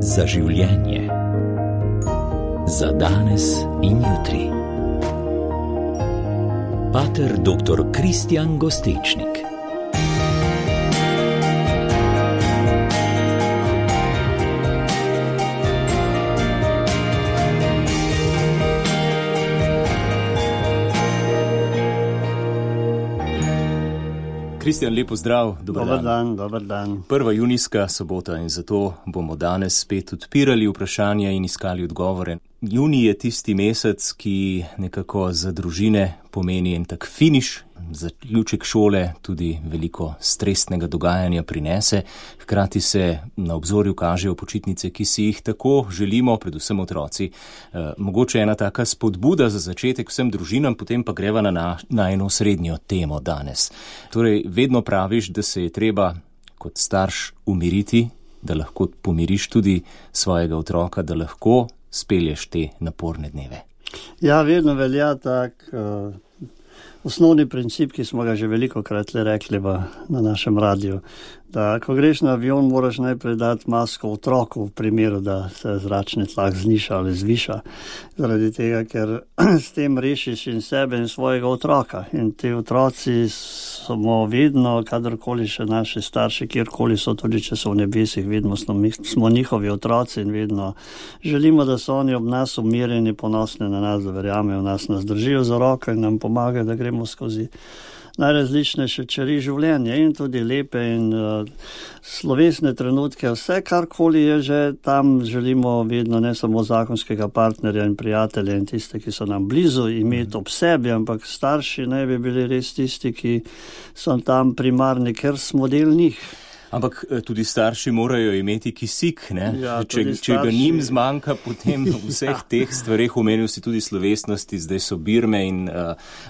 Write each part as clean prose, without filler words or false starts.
Za življenje. Za danes in jutri. Pater dr. Kristjan Gostečnik. Kristjan, lep pozdrav, dober dan. 1. junijska sobota in zato bomo danes spet odpirali vprašanja in iskali odgovore. Junij je tisti mesec, ki nekako za družine pomeni en tak finiš, zaključek šole tudi veliko stresnega dogajanja prinese. Hkrati se na obzorju kažejo počitnice, ki si jih tako želimo, predvsem otroci. Mogoče ena taka spodbuda za začetek vsem družinam, potem pa greva na eno srednjo temo danes. Torej, vedno praviš, da se je treba kot starš umiriti, da lahko pomiriš tudi svojega otroka, da lahko spelješ te naporne dneve. Ja, vedno velja tak osnovni princip, ki smo ga že velikokrat rekli na našem radiju, da ko greš na avion, moraš najprej dati masko otroku v primeru, da se zračni tlak zniža ali zviša. Zaradi tega, ker s tem rešiš in sebe in svojega otroka. In ti otroci smo vedno, kadarkoli še naši starši, kjerkoli so, tudi če so v nebesih, vedno smo njihovi otroci in vedno želimo, da so oni ob nas umirjeni, ponosni na nas, da verjamejo v nas, nas držijo za roko in nam pomagajo, da gremo skozi najrazličnejše čeri življenja in tudi lepe in slovesne trenutke. Vse, karkoli je že tam, želimo vedno ne samo zakonskega partnerja in prijatelja in tiste, ki so nam blizu, imeti ob sebi, ampak starši ne bi bili res tisti, ki so tam primarni, ker smo del njih. Ampak tudi starši morajo imeti kisik, ne? Ja, če ga njim zmanjka, potem vseh teh stvareh, omenil si tudi slovesnosti, zdaj so birme in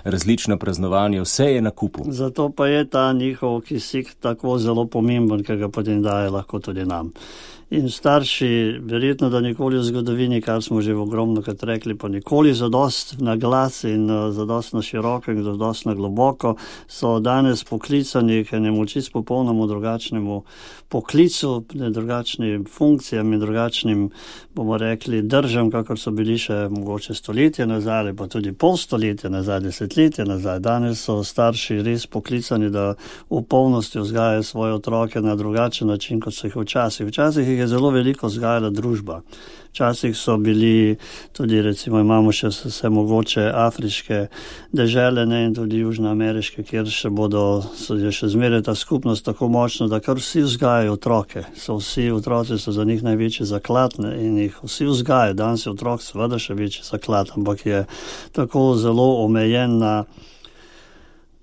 različna praznovanja, vse je na kupu. Zato pa je ta njihov kisik tako zelo pomemben, ker ga potem daje lahko tudi nam. In starši, verjetno, da nikoli v zgodovini, kar smo že ogromnokrat rekli, pa nikoli zadost na glas in zadost na široko in zadost na globoko, so danes poklicani k enemu čisto popolnому drugačnemu poklicu, drugačnim funkcijam in drugačnim, bomo rekli, držam, kakor so bili še mogoče stoletje nazaj, ali pa tudi pol stoletja nazaj, desetletje nazaj. Danes so starši res poklicani, da v polnosti vzgajajo svoje otroke na drugačen način, kot so jih včasih. Včasih jih je zelo veliko vzgajala družba. Včasih so bili tudi, recimo, imamo še vse mogoče afriške dežele, ne, in tudi južnoameriške, kjer je še zmeraj ta skupnost tako močna, da kar vsi vzgajajo otroke. Vsi otroci so za njih največji zaklad in jih vsi vzgajajo. Danes je otrok seveda še večji zaklad, ampak je tako zelo omejen na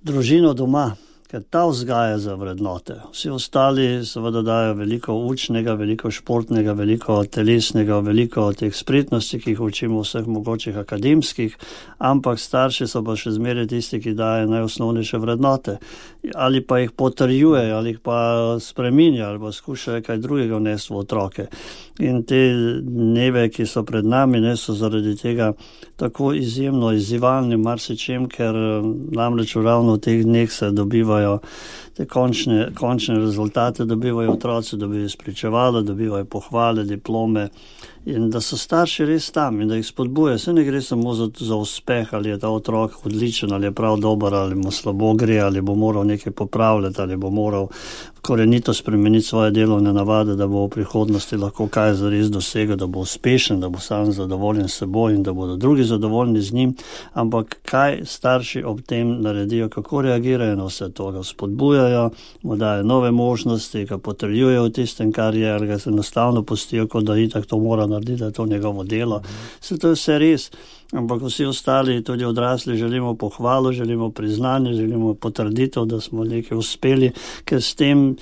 družino doma, ker ta vzgaja za vrednote. Vsi ostali seveda dajo veliko učnega, veliko športnega, veliko telesnega, veliko teh spretnosti, ki jih učimo vseh mogočih akademskih, ampak starši so pa še zmeraj tisti, ki dajo najosnovnejše vrednote. Ali pa jih potrjujejo, ali jih pa spreminjajo, ali pa skušajo kaj drugega vnesti v otroke. In te dneve, ki so pred nami, so zaradi tega tako izjemno izzivalni marsičem, ker namreč ravno v teh dneh se dobivajo te končne rezultate, dobivajo otroci, dobivajo spričevala, dobivajo pohvale, diplome in da so starši res tam in da jih spodbujajo. Se ne gre samo za uspeh, ali je ta otrok odličen, ali je prav dober, ali mu slabo gre, ali bo moral nekaj popravljati, ali bo moral korenito spremeniti svoje delovne navade, da bo v prihodnosti lahko kaj zares dosegel, da bo uspešen, da bo sam zadovoljen s seboj in da bodo drugi zadovoljni z njim. Ampak kaj starši ob tem naredijo, kako reagirajo na vse to, ga spodbujajo, mu dajo nove možnosti, ga potrjujejo v tistem, kar je, ali ga se enostavno pustijo, kot da itak to mora narediti, da je to njegovo delo. To je vse res. Ampak vsi ostali, tudi odrasli, želimo pohvalo, želimo priznanje, želimo potrditev, da smo nekaj uspeli, ker s tem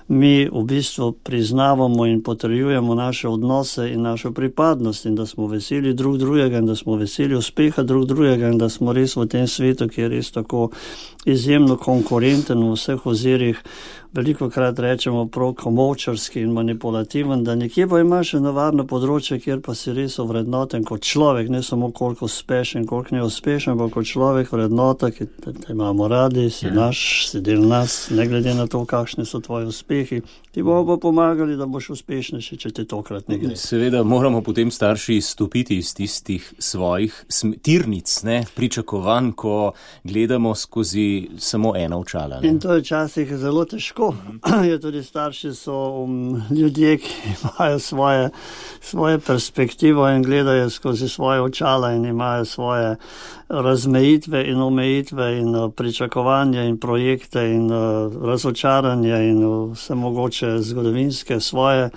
mi v bistvu priznavamo in potrjujemo naše odnose in našo pripadnost in da smo veseli drug drugega in da smo veseli uspeha drug drugega in da smo res v tem svetu, ki je res tako izjemno konkurenten v vseh ozirih, veliko krat rečemo prav komovčarski in manipulativen, da nekje pa imaš eno varno področje, kjer pa si res ovrednoten kot človek, ne samo koliko uspešen, koliko neuspešen, pa kot človek vrednota, ki te imamo radi, si naš, si del nas, ne glede na to, kakšni so tvoji uspehi. Ti bomo pa pomagali, da boš uspešnejši, če ti tokrat ne gre. Seveda moramo potem starši stopiti iz tistih svojih tirnic, pričakovanj, ko gledamo skozi samo ena očala. In to je včasih zelo težko. Tudi starši so ljudje, ki imajo svoje perspektivo in gledajo skozi svoje očala in imajo svoje razmejitve in omejitve in pričakovanja in projekte in razočaranja in vse mogoče zgodovinske svoje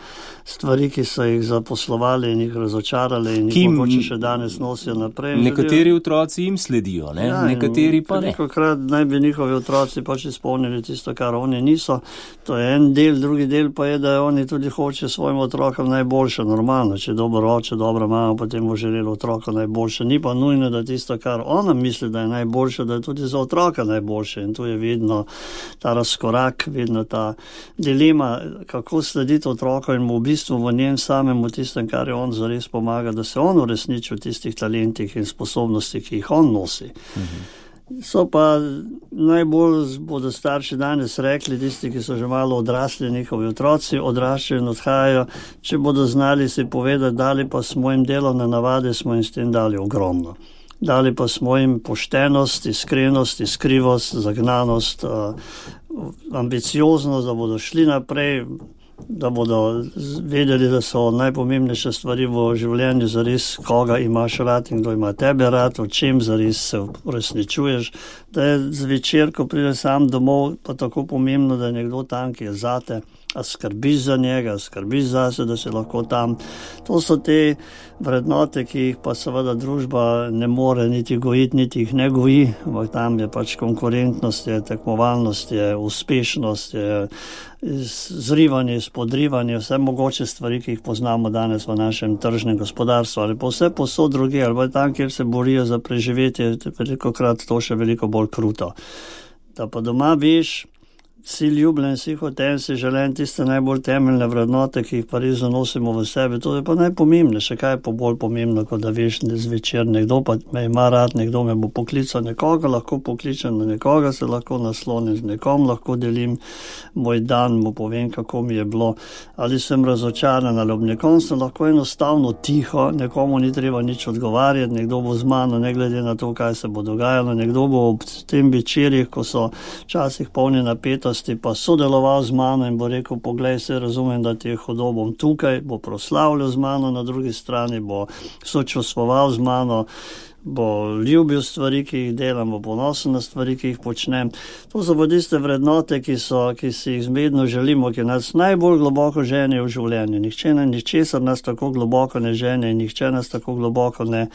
stvari, ki so jih zaposlovali in jih razočarali in jih mogoče še danes nosijo naprej. Nekateri otroci jim sledijo, nekateri pa ne. Velikokrat naj bi njihovi otroci pač izpolnili tisto, kar oni niso. To je en del, drugi del pa je, da oni tudi hoče svojim otrokom najboljše, normalno. Če dober oče, dobra mama, potem bo želelo otroka najboljše. Ni pa nujno, da tisto, kar ona misli, da je najboljše, da je tudi za otroka najboljše. In tu je vedno ta razkorak, vedno ta dilema, kako slediti otroku in mu v bistvu v njem samemu tistem, kar je on zares pomaga, da se on uresniči v tistih talentih in sposobnosti, ki jih on nosi. So pa najbolj bodo starši danes rekli, tisti, ki so že malo odrasli, njihovi otroci odraščajo in odhajajo, če bodo znali si povedati, dali pa smo jim delovne navade, smo jim s tem dali ogromno. Dali pa smo jim poštenost, iskrenost, iskrivost, zagnanost, ambicioznost, da bodo šli naprej, da bodo vedeli, da so najpomembnejše stvari v življenju zares, koga imaš rad in kdo ima tebe rad, o čem zares se uresničuješ, da je zvečer, ko pride sam domov, pa tako pomembno, da je nekdo tam, ki je zate, a skrbiš za njega, skrbiš zase, da si lahko tam. To so te vrednote, ki jih pa seveda družba ne more niti gojiti, niti jih ne goji, ampak tam je pač konkurentnost, je tekmovalnost, je uspešnost, je zrivanje, spodrivanje, vse mogoče stvari, ki jih poznamo danes v našem tržnem gospodarstvu, ali pa vse posod druge, ali pa tam, kjer se borijo za preživetje, velikokrat to še veliko bolj kruto. Da pa doma veš, si ljubljen, si hoten, si želen, tiste najbolj temeljne vrednote, ki jih pa res zanosimo v sebi, to je pa najpomembnejše. Kaj je pa bolj pomembno, kot da veš zvečer, nekdo pa me ima rad, nekdo me bo poklical, nekoga lahko pokličem, na nekoga se lahko naslonim, z nekom lahko delim moj dan, mu povem, kako mi je bilo, ali sem razočaran, ali ob nekom sem lahko enostavno tiho, nekomu ni treba nič odgovarjati, nekdo bo z mano, ne glede na to, kaj se bo dogajalo, nekdo bo ob tem večerjih, ko so včasih polni napetosti, pa sodeloval z mano in bo rekel, poglej, se razumem, da ti je hudo, bom tukaj, bo proslavljal z mano, na drugi strani bo sočustvoval z mano, bo ljubil stvari, ki jih delam, bo ponosen na stvari, ki jih počnem. To so pa tiste vrednote, ki si jih zmedno želimo, ki nas najbolj globoko ženijo v življenju. Ničesar nas tako globoko ne žene in nihče nas tako globoko ne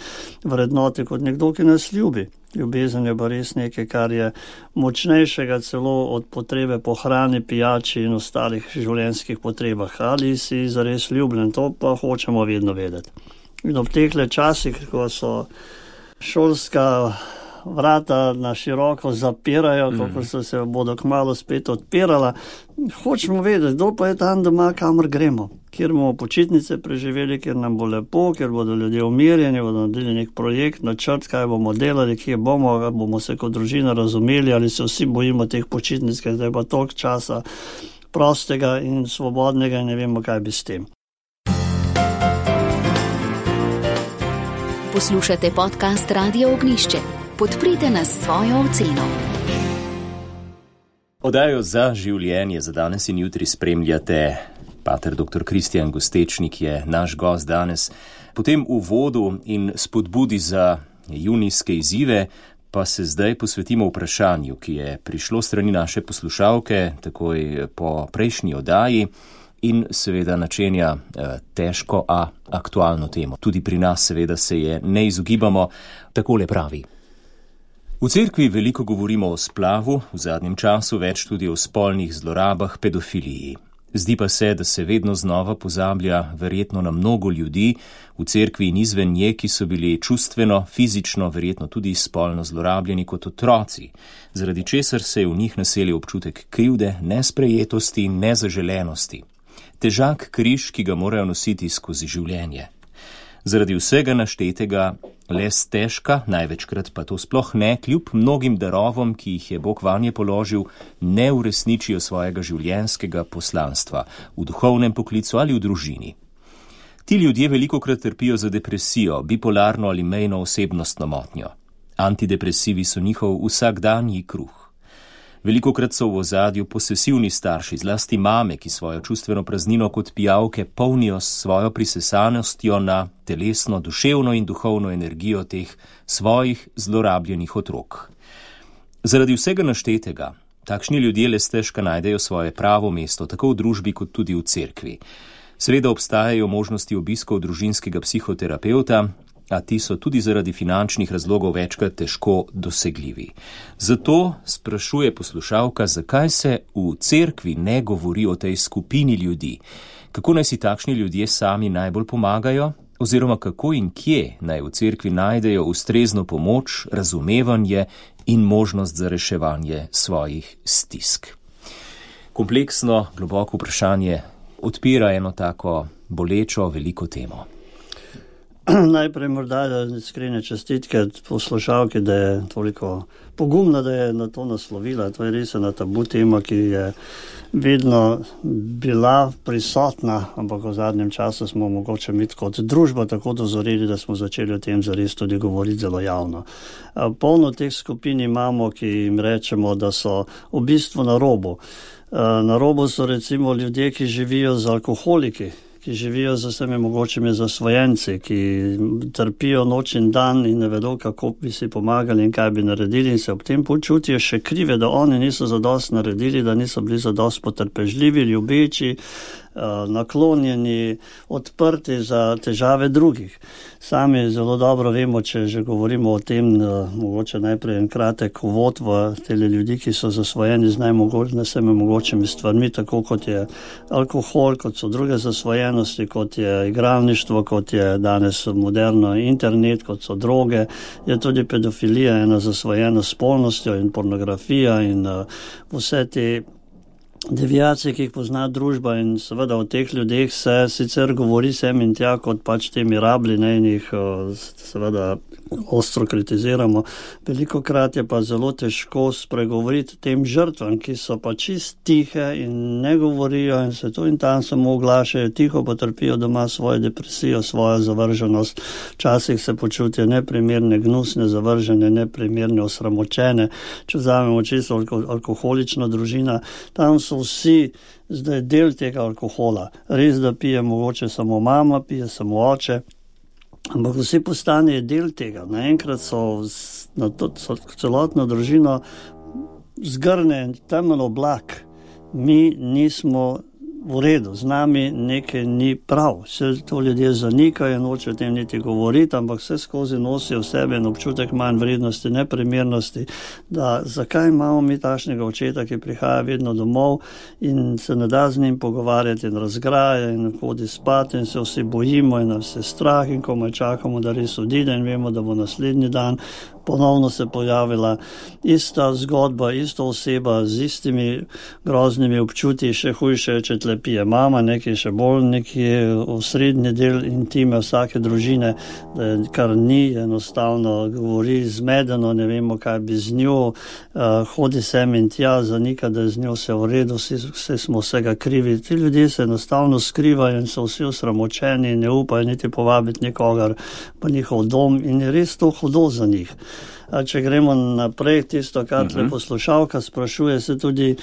vrednoti kot nekdo, ki nas ljubi. Ljubezen je pa res nekaj, kar je močnejšega celo od potrebe po hrani, pijači in ostalih življenjskih potrebah. Ali si zares ljubljen, to pa hočemo vedno vedeti. In ob tehle časih, ko so šolska vrata na široko zapirajo, kako se bodo kmalu spet odpirala, hočemo vedeti, kdo pa je tam doma, kamor gremo, kjer bomo počitnice preživeli, kjer nam bo lepo, kjer bodo ljudje umirjeni, bodo naredili nek projekt, načrt, kaj bomo delali, kje bomo se kot družina razumeli, ali se vsi bojimo teh počitnic, ker je pa toliko časa prostega in svobodnega in ne vemo, kaj bi s tem. Poslušate podcast Radio Ognjišče. Podprite nas s svojo oceno. Oddajo Za življenje za danes in jutri spremljate. Pater dr. Kristijan Gostečnik je naš gost danes. Po tem uvodu in spodbudi za junijske izzive pa se zdaj posvetimo vprašanju, ki je prišlo strani naše poslušalke takoj po prejšnji oddaji in seveda načenja težko, a aktualno temo. Tudi pri nas seveda se je ne izogibamo. Takole pravi. V cerkvi veliko govorimo o splavu, v zadnjem času več tudi o spolnih zlorabah, pedofiliji. Zdi pa se, da se vedno znova pozablja verjetno na mnogo ljudi v cerkvi in izven nje, ki so bili čustveno, fizično, verjetno tudi spolno zlorabljeni kot otroci, zaradi česar se je v njih naselil občutek krivde, nesprejetosti in nezaželenosti. Težak križ, ki ga morajo nositi skozi življenje. Zaradi vsega naštetega le stežka, največkrat pa to sploh ne, kljub mnogim darovom, ki jih je Bog vanje položil, ne uresničijo svojega življenjskega poslanstva v duhovnem poklicu ali v družini. Ti ljudje velikokrat trpijo za depresijo, bipolarno ali mejno osebnostno motnjo. Antidepresivi so njihov vsakdanji kruh. Velikokrat so v ozadju posesivni starši, zlasti mame, ki svojo čustveno praznino kot pijavke polnijo s svojo prisesanostjo na telesno, duševno in duhovno energijo teh svojih zlorabljenih otrok. Zaradi vsega naštetega, takšni ljudje le stežka najdejo svoje pravo mesto, tako v družbi kot tudi v cerkvi. Seveda obstajajo možnosti obiskov družinskega psihoterapevta, a ti so tudi zaradi finančnih razlogov večkrat težko dosegljivi. Zato sprašuje poslušalka, zakaj se v cerkvi ne govori o tej skupini ljudi, kako naj si takšni ljudje sami najbolj pomagajo, oziroma kako in kje naj v cerkvi najdejo ustrezno pomoč, razumevanje in možnost za reševanje svojih stisk. Kompleksno, globoko vprašanje odpira eno tako bolečo, veliko temo. Najprej morda iskrene čestitke poslušalki, da je toliko pogumna, da je na to naslovila. To je res ena tabu tema, ki je vedno bila prisotna, ampak v zadnjem času smo mogoče mi kot družba tako dozoreli, da smo začeli o tem zares tudi govoriti zelo javno. Polno teh skupin imamo, ki jim rečemo, da so v bistvu na robu. Na robu so recimo ljudje, ki živijo z alkoholiki, ki živijo z vsemi mogočimi zasvojenci, ki trpijo noč in dan in ne vedo, kako bi si pomagali in kaj bi naredili in se ob tem počutijo še krive, da oni niso zadost naredili, da niso bili zadost potrpežljivi, ljubeči, naklonjeni, odprti za težave drugih. Sami zelo dobro vemo, če že govorimo o tem, mogoče najprej en kratek uvod v tele ljudi, ki so zasvojeni z vsemi mogočimi stvarmi, tako kot je alkohol, kot so druge zasvojenosti, kot je igralništvo, kot je danes moderno internet, kot so droge, je tudi pedofilija ena zasvojena s spolnostjo in pornografija in vse te deviacije, ki jih pozna družba in seveda o teh ljudeh se sicer govori sem in tja kot pač temi rabli, ne, in jih seveda ostro kritiziramo. Velikokrat je pa zelo težko spregovoriti tem žrtvam, ki so pa čist tihe in ne govorijo in se tu in tam samo oglašajo, tiho pa trpijo doma svojo depresijo, svojo zavrženost. Včasih se počutijo neprimerne, gnusne, zavržene, neprimerne, osramočene. Če vzamemo čisto alkoholično družina, tam so vsi zdaj del tega alkohola. Res, da pije mogoče samo mama, pije samo oče, ampak vsi postanejo del tega. Naenkrat so celotno družino zgrne temen oblak. Mi nismo v redu, z nami nekaj ni prav. Vse to ljudje zanikajo, noče o tem niti govoriti, ampak vse skozi nosijo v sebi en občutek manj vrednosti, neprimernosti, da zakaj imamo mi takšnega očeta, ki prihaja vedno domov in se ne da z njim pogovarjati in razgraja in hodi spat in se vsi bojimo in nas je strah in komaj čakamo, da res odide in vemo, da bo naslednji dan ponovno se pojavila ista zgodba, ista oseba z istimi groznimi občutji, še hujše, če tle pije mama, nekaj še bolj, nekaj osrednji del intime vsake družine, da kar ni, enostavno govori zmedeno, ne vemo, kaj bi z njo, hodi sem in tja, zanika, da je z njo vse v redu, vse smo vsega krivi. Ti ljudje se enostavno skrivajo in so vsi osramočeni in ne upajo niti povabiti nikogar pa njihov dom in je res to hudo za njih. Če gremo naprej, tisto, kar poslušalka sprašuje, se tudi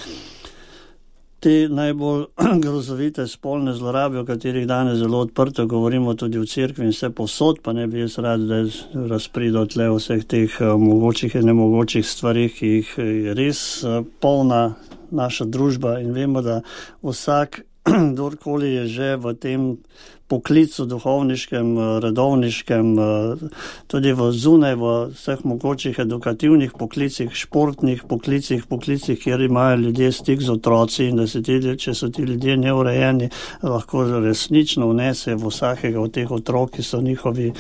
te najbolj grozovite spolne zlorabe, o katerih danes zelo odprto govorimo tudi v cerkvi in vse povsod, pa ne bi jaz rad, da razpridal tle vseh teh mogočih in nemogočih stvarih, ki jih je res polna naša družba in vemo, da vsak kdorkoli je že v tem poklicu duhovniškem, redovniškem, tudi v zunaj, v vseh mogočih edukativnih poklicih, športnih poklicih, kjer imajo ljudje stik z otroci in da se če so ti ljudje neurejeni, lahko resnično vnese v vsakega od teh otrok, ki so njihovi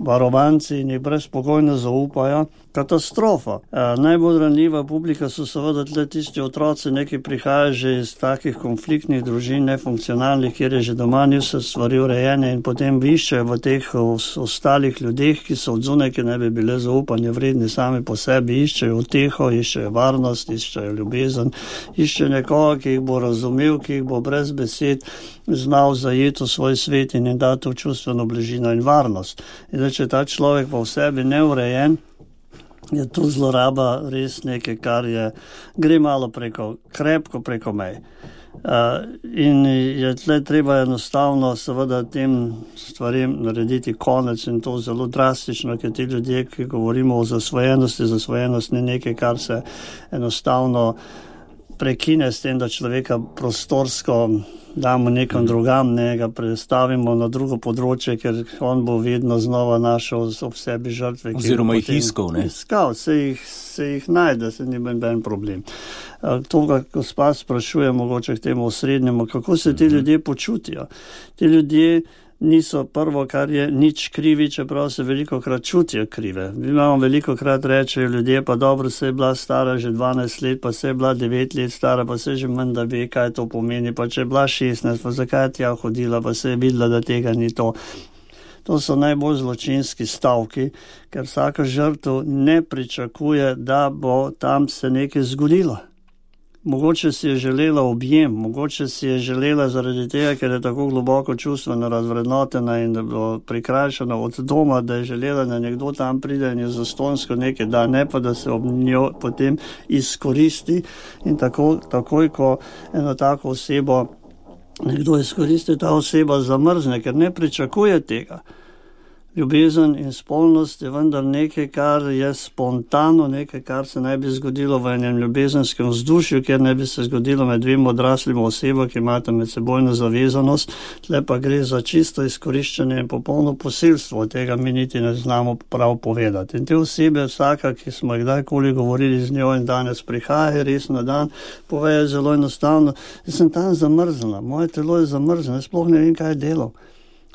varovanci in jih brezpogojno zaupajo, katastrofa. Najbolj ranljiva publika so seveda tle tisti otroci, neki prihajajo že iz takih konfliktnih družin, nefunkcionalnih, kjer je že doma ni vse stvari urejene in potem iščejo v teh ostalih ljudeh, ki so od zunaj, ki ne bi bile zaupanje vredni sami po sebi, iščejo uteho, iščejo varnost, iščejo ljubezen, iščejo nekoga, ki jih bo razumel, ki jih bo brez besed znal zajeti v svoj svet in jim dati v čustveno bližino in varnost. In če ta človek pa v sebi neurejen, je tu zloraba res nekaj, kar gre malo krepko preko mej. In je tle treba enostavno seveda tem stvarem narediti konec in to zelo drastično, ker ti ljudje, ki govorimo o zasvojenosti, zasvojenost ni nekaj, kar se enostavno prekine s tem, da človeka prostorsko damo nekam drugam, ne ga prestavimo na drugo področje, ker on bo vedno znova našel ob sebi žrtve. Oziroma jih iskal, ne? Iskal, se jih najde, se ni ben problem. To, kar gospa sprašuje, mogoče k temu osrednjemu, kako se ti ljudje počutijo. Ti ljudje niso prvo, kar je nič krivi, čeprav se velikokrat čutijo krive. Mi imamo velikokrat rečejo ljudje, pa dobro, se je bila stara že 12 let, pa se je bila 9 let stara, pa se že manj da ve, kaj to pomeni, pa če je bila 16, pa zakaj je tja hodila, pa se je videla, da tega ni to. To so najbolj zločinski stavki, ker vsaka žrtev ne pričakuje, da bo tam se nekaj zgodilo. Mogoče si je želela objem, mogoče si je želela zaradi tega, ker je tako globoko čustveno razvrednotena in da bo prikrajšana od doma, da je želela, da nekdo tam pride in je zastonsko nekaj da, ne pa da se ob njo potem izkoristi in takoj, ko eno tako osebo nekdo izkoristi, ta oseba zamrzne, ker ne pričakuje tega. Ljubezen in spolnost je vendar nekaj, kar je spontano, nekaj, kar se naj bi zgodilo v enem ljubezenskem vzdušju, kjer ne bi se zgodilo med dvema odraslima oseba, ki imata med sebojno zavezanost, tle pa gre za čisto izkoriščanje in popolno posilstvo, tega mi niti ne znamo prav povedati. In te osebe, vsaka, ki smo jih kdajkoli govorili z njo in danes prihaja res na dan, povejo zelo enostavno, jaz sem tam zamrzena, moje telo je zamrzeno, jaz sploh ne vem, kaj je delal.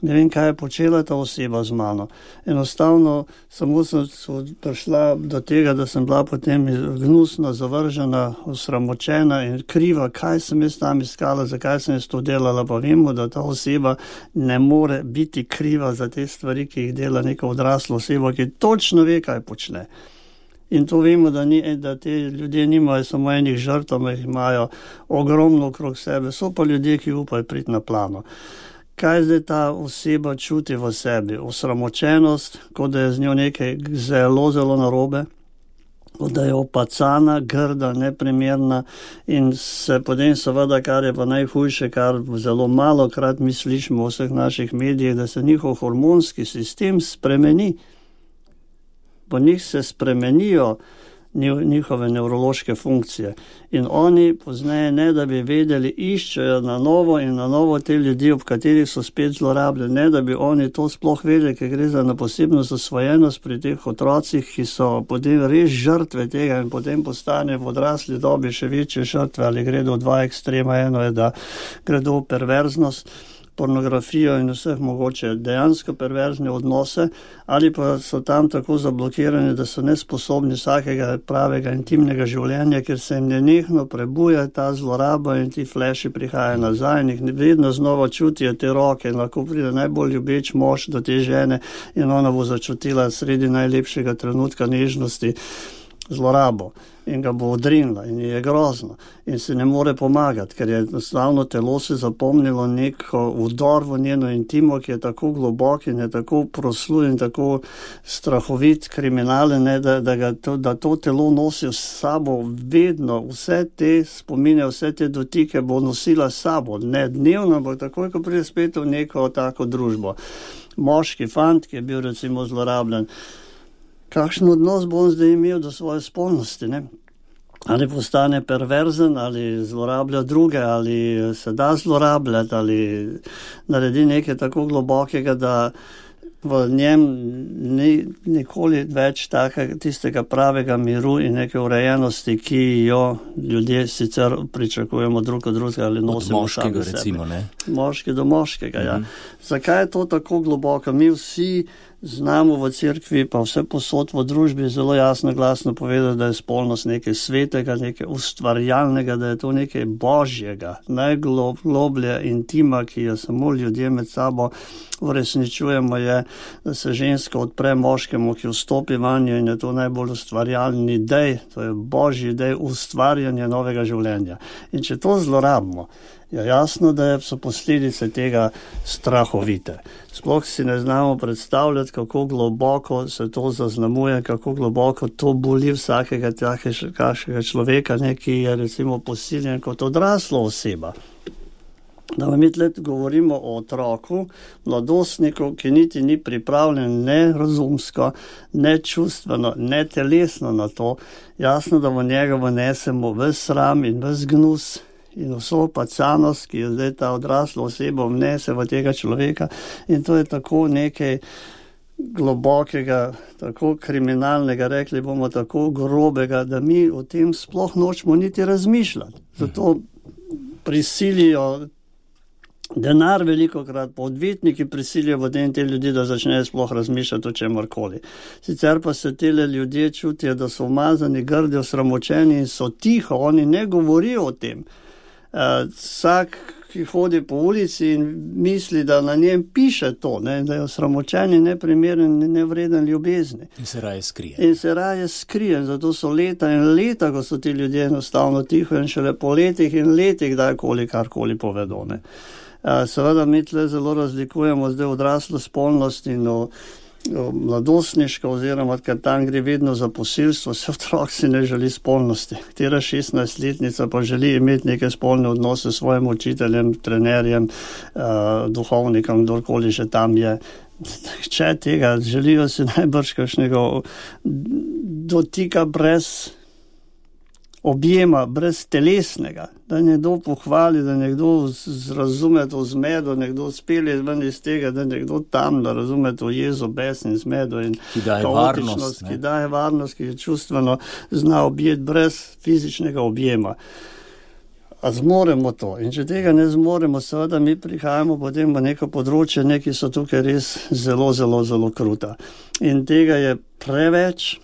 Ne vem, kaj je počela ta oseba z mano. Enostavno samo sem prišla do tega, da sem bila potem gnusna, zavržena, osramočena in kriva, kaj sem jaz tam iskala, zakaj sem jaz to delala, pa vemo, da ta oseba ne more biti kriva za te stvari, ki jih dela neka odrasla oseba, ki točno ve, kaj počne. In to vemo, da te ljudje nimajo samo enih žrtev, jih imajo ogromno okrog sebe, so pa ljudje, ki upajo priti na plano. Kaj zdaj ta oseba čuti v sebi? Osramočenost, kot da je z njo nekaj zelo, zelo narobe, kot da je opacana, grda, neprimerna in se potem seveda, kar je pa najhujše, kar zelo malokrat mi slišimo v vseh naših medijih, da se njihov hormonski sistem spremeni. Po njih se spremenijo njihove nevrološke funkcije. In oni pozneje, ne da bi vedeli, iščejo na novo in na novo te ljudi, ob katerih so spet zlorabljeni, ne da bi oni to sploh vedeli, ker gre za posebno zasvojenost pri teh otrocih, ki so potem res žrtve tega in potem postane v odrasli dobi še večje žrtve, ali gredo v dva ekstrema, eno je, da gredo v perverznost, pornografijo in vseh mogoče dejansko perverzne odnose, ali pa so tam tako zablokirani, da so nesposobni vsakega pravega intimnega življenja, ker se jim nenehno prebuja ta zloraba in ti fleši prihajajo nazaj in jih vedno znova čutijo te roke in lahko pride najbolj ljubeč mož do te žene in ona bo začutila sredi najlepšega trenutka nežnosti zlorabo in ga bo odrinila in je grozno in se ne more pomagati, ker je enostavno telo se zapomnilo neko vdor v njeno intimo, ki je tako globok in je tako prosluj in tako strahovit kriminalen, da to telo nosi s sabo vedno, vse te spomine, vse te dotike bo nosila s sabo, ne dnevno, ampak takoj, ko pride spet v neko tako družbo. Moški fant, ki je bil recimo zlorabljen, kakšen odnos bo on zdaj imel do svoje spolnosti, ne? ali postane perverzen, ali zlorablja druge, ali se da zlorabljati, ali naredi nekaj tako globokega, da v njem ni nikoli več tistega pravega miru in neke urejenosti, ki jo ljudje sicer pričakujemo drug od drugega ali nosimo sami sebe. Od moškega recimo, ne? Moški do moškega, ja. Zakaj je to tako globoko? Mi vsi znamo v cerkvi, pa vse posod v družbi zelo jasno glasno povedati, da je spolnost nekaj svetega, nekaj ustvarjalnega, da je to nekaj božjega, najgloblja intima, ki jo samo ljudje med sabo uresničujemo, je, da se ženska odpre moškemu, ki vstopi vanjo, in je to najbolj ustvarjalni dej, to je božji dej ustvarjanja novega življenja. In če to zlorabimo, je jasno, da so posledice tega strahovite. Sploh si ne znamo predstavljati, kako globoko se to zaznamuje, kako globoko to boli vsakega takega človeka, ki je recimo posiljen kot odrasla oseba. Da mi tle govorimo o otroku, mladostniku, ki niti ni pripravljen ne razumsko, ne čustveno, ne telesno na to. Jasno, da v njega vnesemo ves sram in ves gnus in vso pacanost, ki je zdaj ta odrasla oseba vnese v tega človeka, in to je tako nekaj globokega, tako kriminalnega, rekli bomo tako grobega, da mi o tem sploh nočemo niti razmišljati. Zato prisilijo denar velikokrat, pa odvetniki prisilijo v te ljudi, da začnejo sploh razmišljati o čemorkoli. Sicer pa se tele ljudje čutijo, da so umazani, grdi, osramočeni in so tiho, oni ne govorijo o tem. Vsak, ki hodi po ulici in misli, da na njem piše to, ne, da je osramočen in neprimeren in nevreden ljubezni. In se raje skrije. Zato so leta in leta, ko so ti ljudje enostavno tiho, in šele po letih in letih kdajkoli karkoli povedo. Ne. Seveda mi tle zelo razlikujemo zdaj odraslo spolnost in mladostniško, oziroma ker tam gre vedno za posilstvo, se otrok si ne želi spolnosti. Katera 16-letnica pa želi imeti neke spolne odnose s svojim učiteljem, trenerjem, duhovnikom, kdorkoli že tam je. Če tega, želijo si najbrž kakšnega dotika brez objema, brez telesnega, da nekdo pohvali, da nekdo razume to zmedo, nekdo spelje ven iz tega, da nekdo tam, da razume to jezo, bes in zmedo in kaotičnost, ki daje varnost, ki je čustveno zna objeti brez fizičnega objema. A zmoremo to? In če tega ne zmoremo, seveda mi prihajamo potem v neko področje, neki so tukaj res zelo, zelo, zelo kruta. In tega je preveč.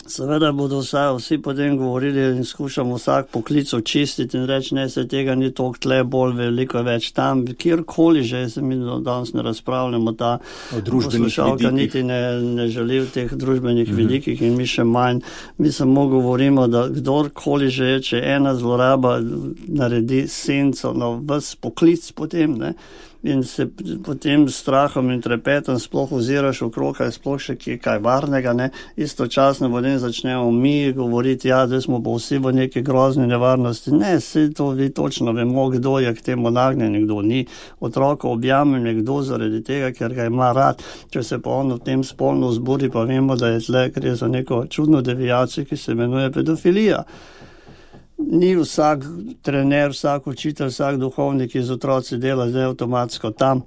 Seveda bodo vsi potem govorili in skušamo vsak poklic očistiti in reči, ne, se tega ni toliko tle, bolj veliko več tam, kjerkoli že, se mi danes ne razpravljamo, ta poslušalka niti ne želi v teh družbenih vidikih in mi še manj. Mi samo govorimo, da kdorkoli že je, če ena zloraba naredi senco na ves poklic potem, ne, in se potem s strahom in trepetom sploh oziraš okrog, je sploh še kaj varnega, ne, istočasno potem začnemo mi govoriti, ja, da smo pa vsi v neki grozni nevarnosti. Ne, vse to vi točno vemo, kdo je k temu nagnjen, kdo ni. Otroko objame nekdo zaradi tega, ker ga ima rad. Če se pa on v tem spolno vzburi, pa vemo, da je tle, gre za neko čudno deviacijo, ki se imenuje pedofilija. Ni vsak trener, vsak učitelj, vsak duhovnik iz otroci dela zdaj avtomatsko tam.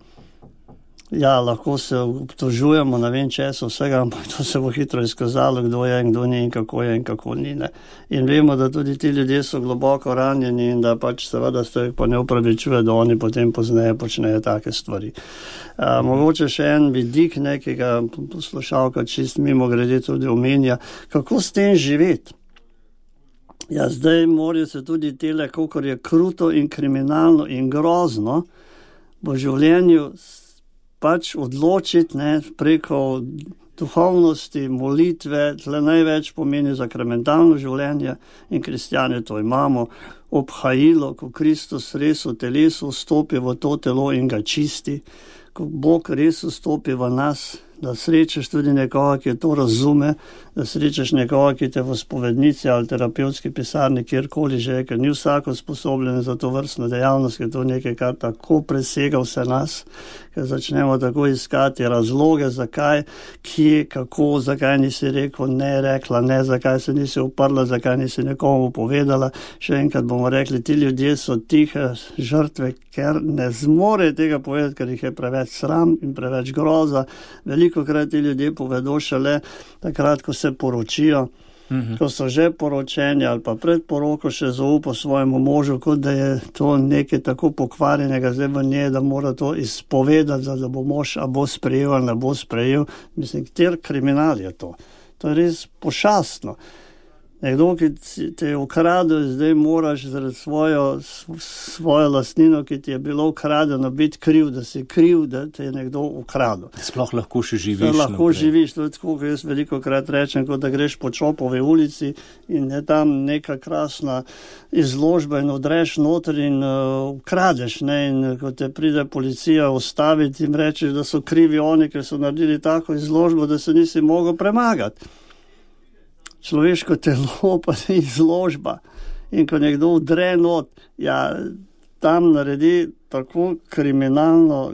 Ja, lahko se obtožujemo, ne vem česa vsega, ampak to se bo hitro izkazalo, kdo je in kdo ni in kako ni. Ne. In vemo, da tudi ti ljudje so globoko ranjeni in da pač seveda se pa ne upravičuje, da oni potem pozneje počnejo take stvari. Mogoče še en vidik nekega poslušalka, čist mimo grede tudi omenja, kako s tem živeti. Ja, zdaj morajo se tudi tele, kakor je kruto in kriminalno in grozno, v življenju pač odločiti, ne, preko duhovnosti, molitve, tle največ pomeni sakramentalno življenje in kristjani to imamo, obhajilo, ko Kristus res v telesu vstopi v to telo in ga čisti, ko Bog res vstopi v nas, da srečaš tudi nekoga, ki to razume, da srečaš nekoga, ki te v spovednici ali terapevtski pisarni, kjerkoli že, ker ni vsako sposobljen za to vrstno dejavnost, ker to nekaj, kar tako presega vse nas, ker začnemo tako iskati razloge, zakaj, kje, kako, zakaj nisi rekel ne, rekla ne, zakaj se nisi uprla, zakaj nisi nekomu povedala. Še enkrat bomo rekli, ti ljudje so tihe žrtve, ker ne zmore tega povedati, ker jih je preveč sram in preveč groza. Velikokrat ti ljudje povedo šele takrat, ko se poročijo, ko so že poročeni ali pa pred poroko še zaupa svojemu možu, kot da je to nekaj tako pokvarjenega zdaj v njej, da mora to izpovedati, da bo mož a bo sprejel ali ne bo sprejel. Mislim, kjer kriminal je to? To je res pošastno. Nekdo, ki te je ukradel, zdaj moraš zaradi svojo lastnino, ki ti je bilo ukradeno, biti kriv, da si kriv, da te je nekdo ukradel. Sploh lahko še živiš. Lahko živiš, to je tako, kot jaz velikokrat rečem, kot da greš po Čopovi ulici in je tam neka krasna izložba in odreš noter in ukradeš, ne, in ko te pride policija ustaviti in rečeš, da so krivi oni, ker so naredili tako izložbo, da se nisi mogel premagati. Človeško telo pa je izložba in ko nekdo vdre not, ja, tam naredi tako kriminalno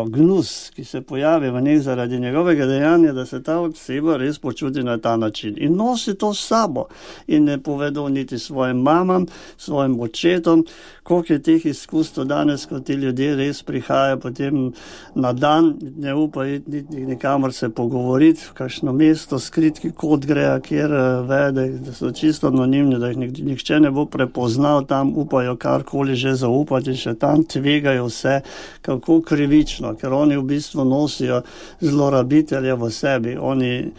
gnus, ki se pojavi v njih zaradi njegovega dejanja, da se ta oseba res počuti na ta način. In nosi to s sabo in ne povedo niti svojim mamam, svojim očetom, koliko je teh izkustev danes, ko ti ljudje res prihajajo potem na dan, ne upajo niti nikamor se pogovoriti, v kakšno mesto, skritki kot greja, kjer vede, da so čisto anonimni, da jih nihče ne bo prepoznal, tam upajo karkoli že zaupati, še tam tvegajo vse, kako krivično, ker oni v bistvu nosijo zlorabitelje v sebi, oni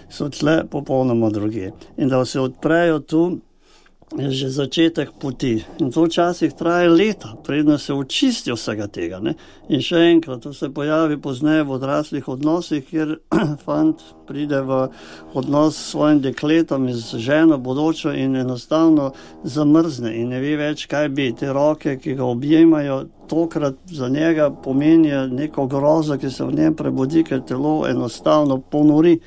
so tle popolnoma drugi. In da se odprejo tu, je že začetek poti. In to včasih traje leta, predno se očisti vsega tega. Ne? In še enkrat, to se pojavi pozneje v odraslih odnosih, kjer fant pride v odnos s svojim dekletom in z ženo bodočo in enostavno zamrzne in ne ve več, kaj bi. Te roke, ki ga objemajo, tokrat za njega pomenijo neko grozo, ki se v njem prebudi, ker telo enostavno ponori,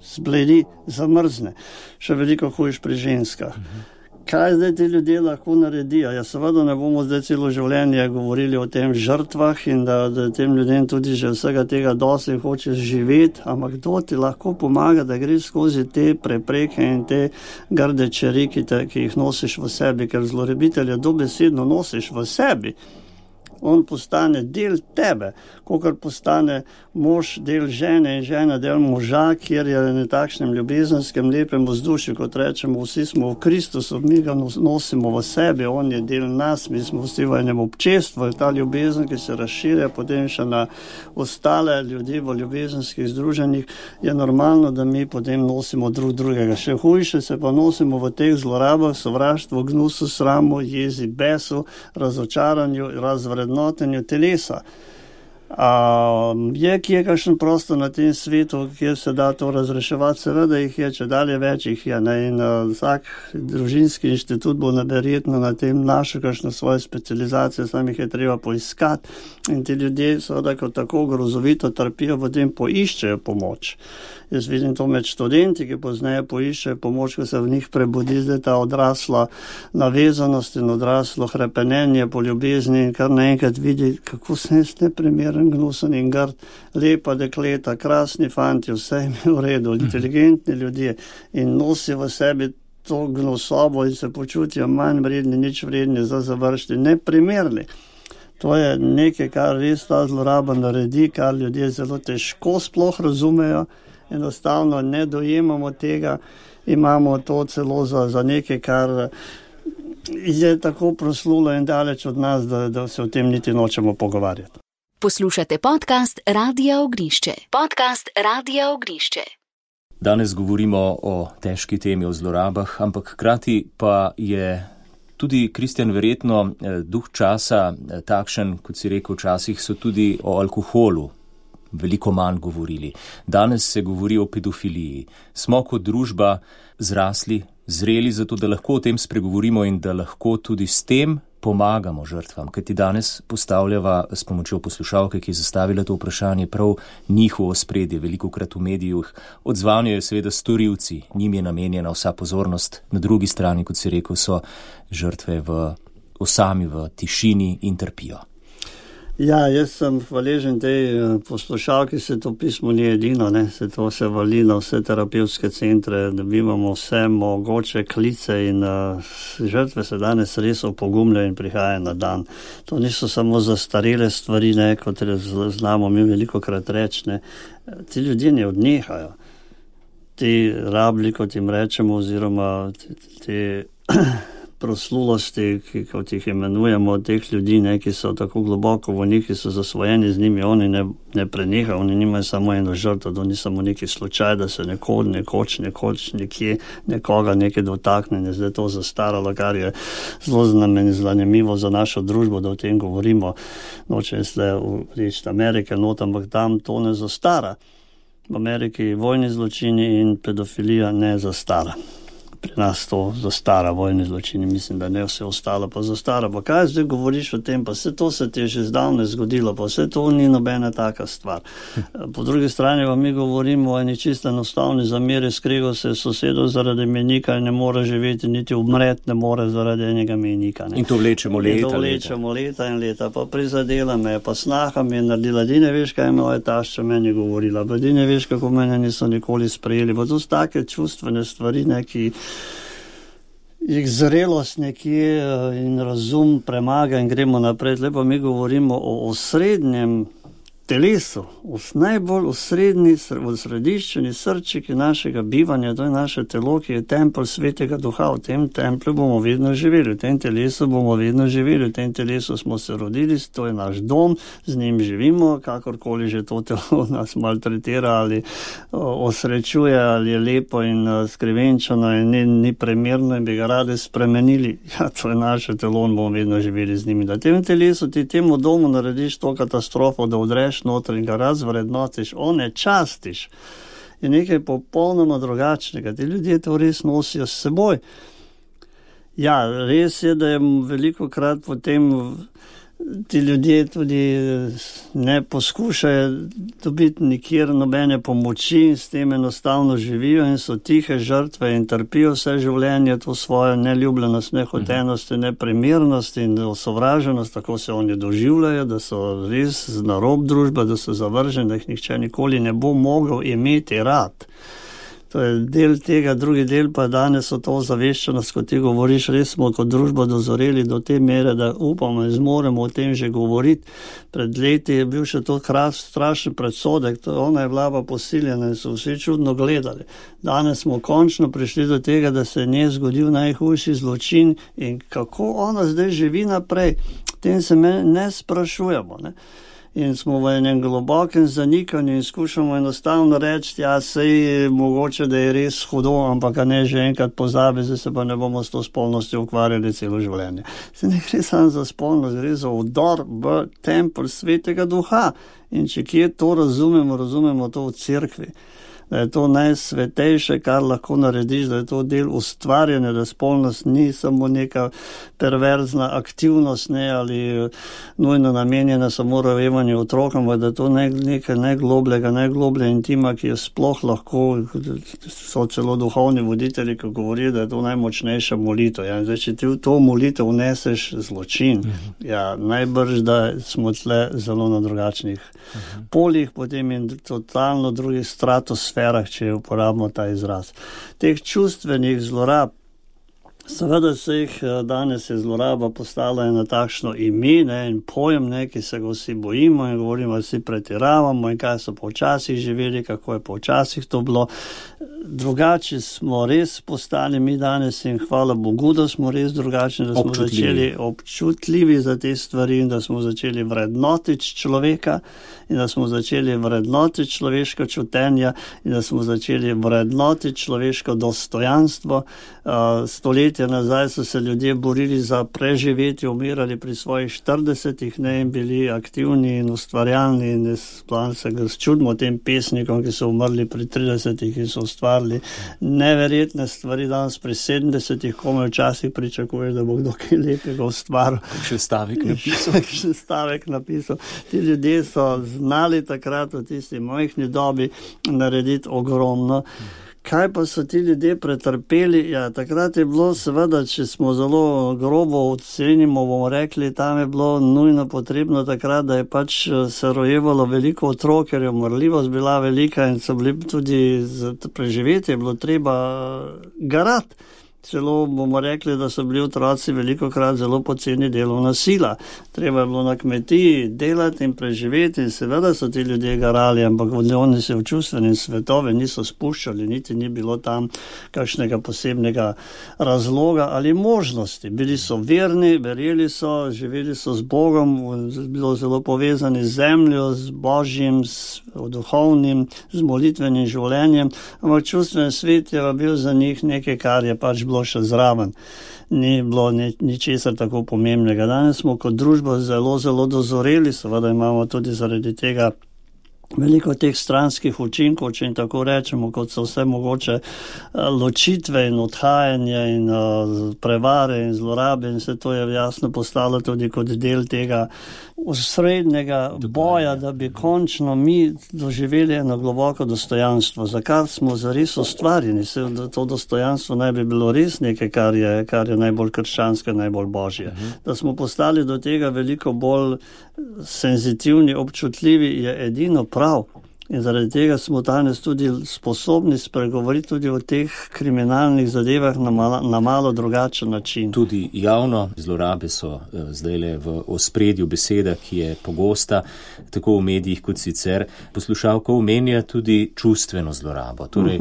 zbledi, zamrzne. Še veliko hujš pri ženskah. Kaj zdaj ti ljudje lahko naredijo? Ja, seveda ne bomo zdaj celo življenje govorili o tem žrtvah in da tem ljudem tudi že vsega tega dosti hočeš živeti, ampak kdo ti lahko pomaga, da greš skozi te prepreke in te grde čeri, ki jih nosiš v sebi, ker zlorabitelja dobesedno nosiš v sebi. On postane del tebe, kakor postane mož del žene in žena del moža, kjer je na takšnem ljubezenskem lepem vzdušju, kot rečemo, vsi smo v Kristusu, mi ga nosimo v sebi, on je del nas, mi smo vsi v enem občestvu, ta ljubezen, ki se razširja potem še na ostale ljudi v ljubezenskih združenjih, je normalno, da mi potem nosimo drugega. Še hujše se pa nosimo v teh zlorabah, sovraštvu, gnusu, sramu, jezi, besu, razočaranju, razvrednotenju telesa. Je kje kakšen prostor na tem svetu, kjer se da to razreševati? Seveda jih je, če dalje več jih je. Ne? In vsak družinski inštitut bo verjetno na tem našel kakšno svoje specializacije, sam jih je treba poiskati. In ti ljudje seveda, ko tako grozovito trpijo, potem poiščejo pomoč. Jaz vidim to med študenti, ki pozneje poiščejo pomoč, ko se v njih prebudi zdaj ta odrasla navezanost in odraslo hrepenenje po ljubezni in kar naenkrat vidi, kako sem jaz neprimeren, gnusen in grd, lepa dekleta, krasni fanti, vse jim je v redu, inteligentni ljudje in nosi v sebi to gnusobo in se počutijo manj vredni, nič vredni za završiti, neprimerni. To je nekaj, kar res ta zloraba naredi, kar ljudje zelo težko sploh razumejo, enostavno ne dojemamo tega, imamo to celo za nekaj, kar je tako proslulo in daleč od nas, da se o tem niti nočemo pogovarjati. Poslušate podcast Radia Ognišče. Podcast Radia Ognišče. Danes govorimo o težki temi, o zlorabah, ampak hkrati pa je tudi, Kristjan, verjetno duh časa takšen, kot si rekel, včasih so tudi o alkoholu veliko manj govorili. Danes se govori o pedofiliji. Smo kot družba zrasli, zreli za to, da lahko o tem spregovorimo in da lahko tudi s tem pomagamo žrtvam, kajti danes postavljava s pomočjo poslušalke, ki je zastavila to vprašanje, prav njihovo spredje, velikokrat v medijih. Odzvanjajo seveda storilci, njim je namenjena vsa pozornost, na drugi strani, kot si rekel, so žrtve sami v tišini in trpijo. Ja, jaz sem hvaležen tej poslušalki, se to pismo ni edino, se to se vali na vse terapevtske centre, da imamo vse mogoče klice in žrtve se danes res opogumljajo in prihajajo na dan. To niso samo zastarele stvari, kot znamo mi velikokrat reči, ti ljudje ne odnehajo. Ti rabli, kot jim rečemo, oziroma te proslulosti, kot jih imenujemo, teh ljudi, ki so tako globoko v njih, ki so zasvojeni z njimi, oni ne prenehajo, oni nimajo samo eno žrtvo, to ni samo neki slučaj, da se nekoč nekje nekoga nekaj dotakne, zdaj to zastaralo, kar je zelo zanimivo za našo družbo, da o tem govorimo. Nočem se reči Amerike, ampak tam to ne zastara. V Ameriki vojni zločini in pedofilija ne zastara. Pri nas to zastara, vojni zločini, mislim, da ne, vse ostalo pa zastara. Pa kaj zdaj govoriš o tem, pa vse to se ti je že zdavne zgodilo, pa vse to ni nobena taka stvar. Po drugi strani pa mi govorimo o eni čisto enostavni zameri, skrego se sosedov zaradi mejnika in ne more živeti, niti umret ne more zaradi enega mejnika. In to vlečemo leta in leta, pa prizadela me, pa snaha mi je naredila, di ne veš, kaj moja tašča meni govorila, pa di ne veš, kako mene niso nikoli sprejeli, pa to so take čustvene stvari, ki jih zrelost nekje in razum premaga in gremo naprej. Lepo mi govorimo o osrednjem telesu, najbolj osrediščeni srčiki našega bivanja, to je naše telo, ki je tempelj Svetega Duha. V tem templju bomo vedno živeli, v tem telesu bomo vedno živeli, v tem telesu smo se rodili, to je naš dom, z njim živimo, kakorkoli že to telo nas maltretira ali osrečuje, ali je lepo in skrivenčano in ni primerno in bi ga radi spremenili. Ja, to je naše telo in bomo vedno živeli z njimi. Na tem telesu ti temu domu narediš to katastrofo, da odreš noter in ga razvrednotiš, onečastiš, je nekaj popolnoma drugačnega. Ti ljudje to res nosijo s seboj. Ja, res je, da je velikokrat potem ti ljudje tudi ne poskušajo dobiti nikjer nobene pomoči in s tem enostavno živijo in so tihe žrtve in trpijo vse življenje to svojo neljubljenost, nehotenost, neprimernost in osovraženost, tako se oni doživljajo, da so res na rob družbe, da so zavrženi, da jih nihče nikoli ne bo mogel imeti rad. To je del tega, drugi del pa danes so to zaveščenost, kot ti govoriš, res smo kot družba dozoreli do te mere, da upamo in zmoremo o tem že govoriti. Pred leti je bil še to strašen predsodek, ona je bila pa posiljena in so vsi čudno gledali. Danes smo končno prišli do tega, da se je nje zgodil najhujši zločin in kako ona zdaj živi naprej, tem se ne sprašujemo, In smo v enem globokem zanikanju in skušamo enostavno reči, ja, sej mogoče, da je res hudo, ampak ne že enkrat pozabi, zdaj se pa ne bomo s to spolnostjo ukvarjali celo življenje. Se ne gre samo za spolnost, gre za vdor v tempelj Svetega Duha. In če kje to razumemo to v cerkvi. Da je to najsvetejše, kar lahko narediš, da je to del ustvarjanja, da spolnost ni samo neka perverzna aktivnost, ali nujno namenjena samo rojevanju otrokom, da je to nekaj najgloblje intima, ki je sploh lahko, so celo duhovni voditelji, ki govorijo, da je to najmočnejša molitev. Ja, zdaj, če ti v to molitev vneseš zločin, ja, najbrž, da smo tle zelo na drugačnih poljih, potem in totalno drugih stratosferah, če uporabimo ta izraz. Teh čustvenih zlorab, seveda se jih danes je zloraba postala ena takšno ime in pojem, ki se ga vsi bojimo in govorimo, da vsi pretiravamo in kaj so počasih živeli, kako je počasih to bilo. Drugače smo res postali mi danes in hvala Bogu, da smo res drugačni, da smo začeli občutljivi za te stvari in da smo začeli vrednotiti človeka in da smo začeli vrednotiti človeško čutenja in da smo začeli vrednotiti človeško dostojanstvo. Stoletja stoletja nazaj so se ljudje borili za preživetje, umirali pri svojih 40-ih, ne, in bili aktivni in ustvarjalni, in sploh se ga čudimo tem pesnikom, ki so umrli pri 30-ih in so ustvarili neverjetne stvari. Danes pri 70-ih, komaj včasih pričakuješ, da bo kdo kaj lepega ustvaril. Še stavek napisal. Ti ljudje so znali takrat v tisti majhni dobi narediti ogromno. Kaj pa so ti ljudje pretrpeli? Ja, takrat je bilo seveda, če smo zelo grobo ocenimo, bomo rekli, tam je bilo nujno potrebno takrat, da je pač se rojevalo veliko otrok, ker je umrljivost bila velika in so bili tudi za preživetje, je bilo treba garati. Celo bomo rekli, da so bili otroci velikokrat zelo poceni delovna sila. Treba je bilo na kmetiji delati in preživeti in seveda so ti ljudje garali, ampak oni se v čustvene svetove niso spuščali, niti ni bilo tam kakšnega posebnega razloga ali možnosti. Bili so verni, verjeli so, živeli so z Bogom, bilo zelo povezani z zemljo, z Božjim, z duhovnim, z molitvenim življenjem, ampak čustven svet je bil za njih nekaj, kar je pač bilo še zraven. Ni bilo ničesar tako pomembnega. Danes smo kot družba zelo, zelo dozoreli, seveda imamo tudi zaradi tega veliko teh stranskih učinkov, če in tako rečemo, kot so vse mogoče ločitve in odhajanje in prevare in zlorabe, in se to je jasno postalo tudi kot del tega osrednjega boja, da bi končno mi doživeli eno globoko dostojanstvo, za kar smo zares ustvarjeni. To dostojanstvo naj bi bilo res nekaj, kar je najbolj krščansko, najbolj božje. Da smo postali do tega veliko bolj senzitivni, občutljivi, je edino prav. In zaradi tega smo danes tudi sposobni spregovoriti tudi o teh kriminalnih zadevah na malo drugačen način. Tudi javno zlorabe so zdajle v ospredju beseda, ki je pogosta, tako v medijih kot sicer. Poslušalka omenja tudi čustveno zlorabo. Torej,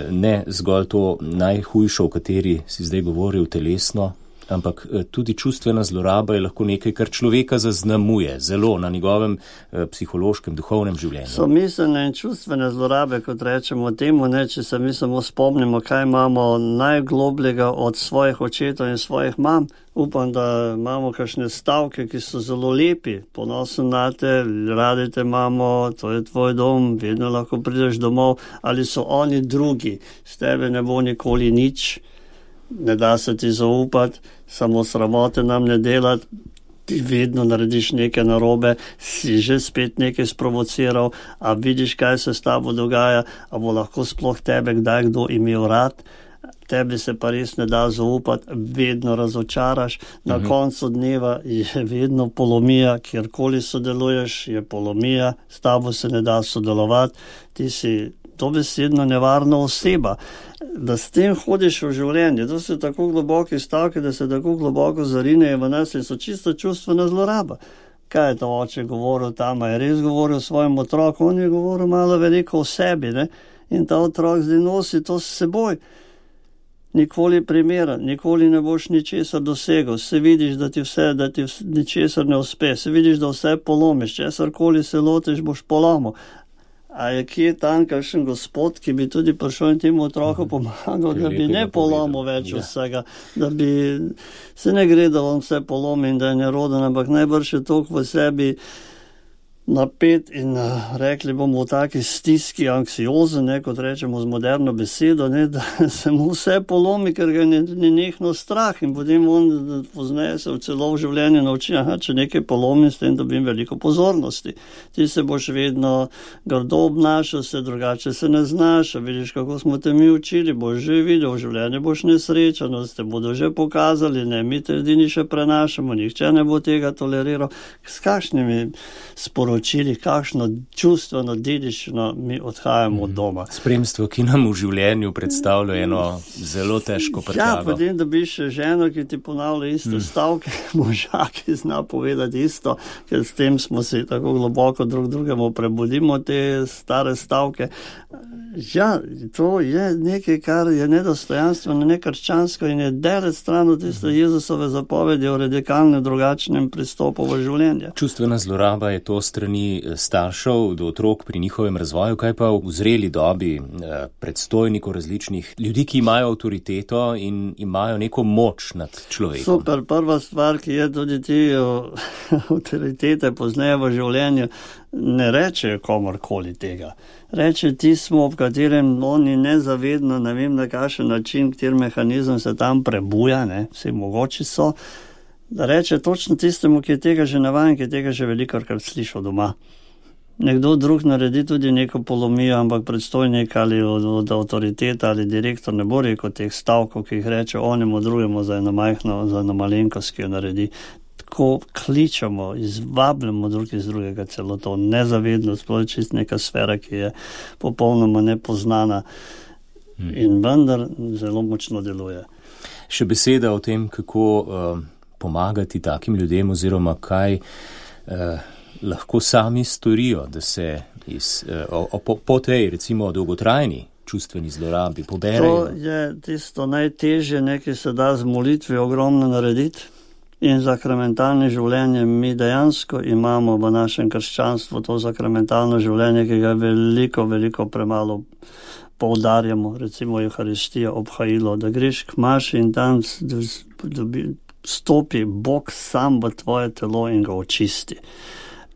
ne zgolj to najhujšo, o kateri si zdaj govoril, telesno, ampak tudi čustvena zloraba je lahko nekaj, kar človeka zaznamuje zelo na njegovem psihološkem, duhovnem življenju. So miselne in čustvene zlorabe, kot rečemo temu, ne, če se mi samo spomnimo, kaj imamo najglobljega od svojih očetov in svojih mam. Upam, da imamo kakšne stavke, ki so zelo lepi. Ponosen na te, radi te imamo, to je tvoj dom, vedno lahko prideš domov. Ali so oni drugi, s tebe ne bo nikoli nič. Ne da se ti zaupati, samo sramote nam ne delati, ti vedno narediš nekaj narobe, si že spet nekaj sprovociral, a vidiš, kaj se s tabo dogaja, a bo lahko sploh tebe kdaj kdo imel rad, tebi se pa res ne da zaupati, vedno razočaraš, na koncu dneva je vedno polomija, kjerkoli sodeluješ, je polomija, s tabo se ne da sodelovati, ti si dobesedno nevarna oseba. Da s tem hodiš v življenje, to so tako globoki stavki, da se tako globoko zarinejo v nas in so čisto čustvena zloraba. Kaj je to oče govoril tam, je res govoril svojim otrokom, on je govoril malo veliko o sebi, ne? In ta otrok zdaj nosi to s seboj. Nikoli primeren, nikoli ne boš ničesar dosegel, se vidiš, da ti ničesar ne uspe, se vidiš, da vse polomiš, česarkoli se lotiš, boš polomil. A je kje tam kakšen gospod, ki bi tudi prišel in temu otroku pomagal, da bi ne polomil več vsega, da bi se ne gre, da on vse polomi in da je neroden, ampak najbrž je toliko v sebi napet in rekli bomo v taki stiski, anksiozen, ne, kot rečemo z moderno besedo, ne, da se mu vse polomi, ker ga je nenehno strah in potem on pozneje se v celo v življenju nauči, če nekaj polomim, s tem dobim veliko pozornosti. Ti se boš vedno grdo obnašal, se drugače se ne znaš, vidiš, kako smo te mi učili, boš že videl, v življenju boš nesrečanost, te bodo že pokazali, ne, mi te edini še prenašamo, nihče ne bo tega toleriral. S kakšnimi sporočili, kakšno čustveno dediščino mi odhajamo od doma. Spremstvo, ki nam v življenju predstavlja eno zelo težko prtljago. Ja, potem dobiš ženo, ki ti ponavlja iste stavke, moža, ki zna povedati isto, ker s tem smo se tako globoko drug drugemu prebudimo te stare stavke. Ja, to je nekaj, kar je nedostojanstveno, nekrščansko in je daleč stran od tiste Jezusove zapovedi o radikalno drugačnem pristopu v življenje. Čustvena zloraba je to strani staršev do otrok pri njihovem razvoju, kaj pa v zreli dobi predstojnikov različnih ljudi, ki imajo avtoriteto in imajo neko moč nad človekom. Super, prva stvar, ki je tudi ti avtoritete pozneje v življenju, ne reče komorkoli tega. Reče tismo, v katerem oni nezavedno, ne vem na kakšen način, kateri mehanizem se tam prebuja, vsi mogoči so, da reče točno tistemu, ki je tega že navajen, ki je tega že velikokrat slišal doma. Nekdo drug naredi tudi neko polomijo, ampak predstojnik ali od avtoriteta ali direktor ne bo rekel teh stavkov, ki jih reče onemu drugemu za eno majhno, za eno malenkost, ki jo naredi. Tako kličemo, izvabljamo drug iz drugega, celo to nezavedno, sploh čist neka sfera, ki je popolnoma nepoznana in vendar zelo močno deluje. Še beseda o tem, kako pomagati takim ljudem oziroma kaj lahko sami storijo, da se po tej recimo dolgotrajni čustveni zlorabi poberejo. To je tisto najtežje, nekaj se da z molitvijo ogromno narediti. In sakramentalno življenje, mi dejansko imamo v našem krščanstvu to sakramentalno življenje, ki ga veliko premalo poudarjamo, recimo Euharistija, obhajilo, da greš k maši in tam stopi Bog sam v tvoje telo in ga očisti.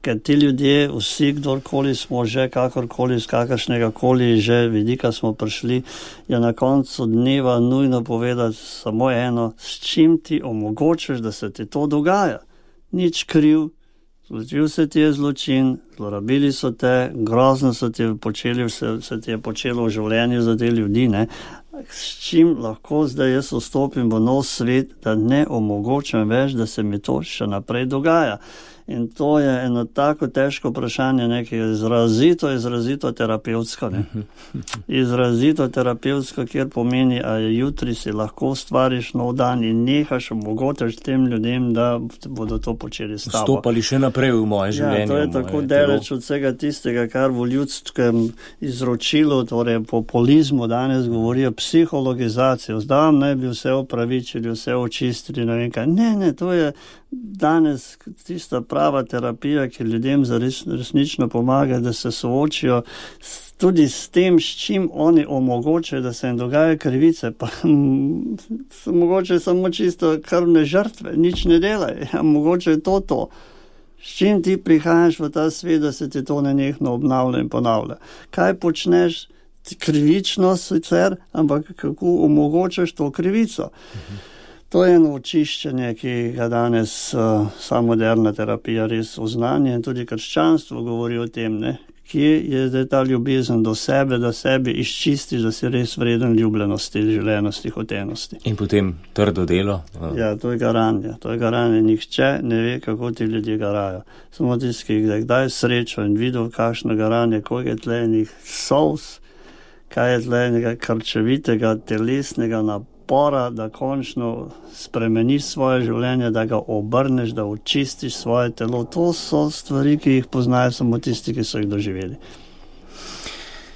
Ker ti ljudje, vsi, kdorkoli smo že, kakorkoli, z kakršnega koli že vidika smo prišli, je na koncu dneva nujno povedati samo eno, s čim ti omogočaš, da se ti to dogaja. Nič kriv, zločil se ti je zločin, zlorabili so te, grozno se ti je počelo v življenju za te ljudi, s čim lahko zdaj jaz vstopim v nov svet, da ne omogočam več, da se mi to še naprej dogaja. In to je eno tako težko vprašanje, nekaj izrazito terapevtsko. Izrazito terapevtsko, kjer pomeni, a jutri si lahko ustvariš nov dan in nehaš omogočaš tem ljudem, da bodo to počeli s tabo. Vstopali še naprej v moje življenje. Ja, to je tako daleč od vsega tistega, kar v ljudskem izročilu, torej populizmu danes govorijo psihologizacijo. Zdaj naj bi vse opravičili, vse očistili, ne vem kaj. Ne, to je danes tista prava terapija, ki ljudem resnično pomaga, da se soočijo tudi s tem, s čim oni omogočajo, da se jim dogajajo krivice, pa mogoče samo čisto krvne žrtve, nič ne delaj, mogoče je to. S čim ti prihajaš v ta svet, da se ti to nenehno obnavlja in ponavlja. Kaj počneš? Krivično sicer, ampak kako omogočaš to krivico? To je eno očiščenje, ki ga danes moderna terapija res oznanja in tudi krščanstvo govori o tem, kje je zdaj ta ljubezen do sebe, da sebi izčistiš, da si res vreden ljubljenosti, želenosti, hotenosti. In potem trdo delo? Ja, to je garanje. Nihče ne ve, kako ti ljudje garajo. Samo tisti, ki je kdaj srečo in videl, kakšno garanje, koliko je tle enih solz, kaj je tle enega krčevitega, telesnega napora, da končno spremeniš svoje življenje, da ga obrneš, da očistiš svoje telo. To so stvari, ki jih poznajo samo tisti, ki so jih doživeli.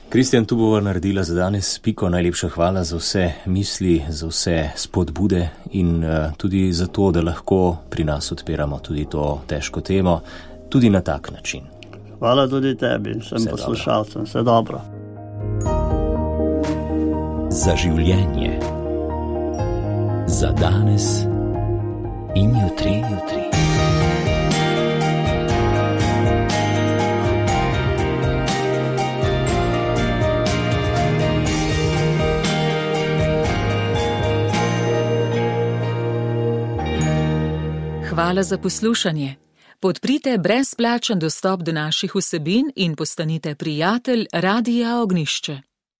Kristjan, tu bova naredila za danes piko. Najlepša hvala za vse misli, za vse spodbude in tudi za to, da lahko pri nas odpiramo tudi to težko temo, tudi na tak način. Hvala tudi tebi, sem poslušalcem. Vse dobro. Za življenje. Za danes in jutri. Hvala za poslušanje. Podprite brezplačen dostop do naših vsebin in postanite prijatelj Radia Ognjišče.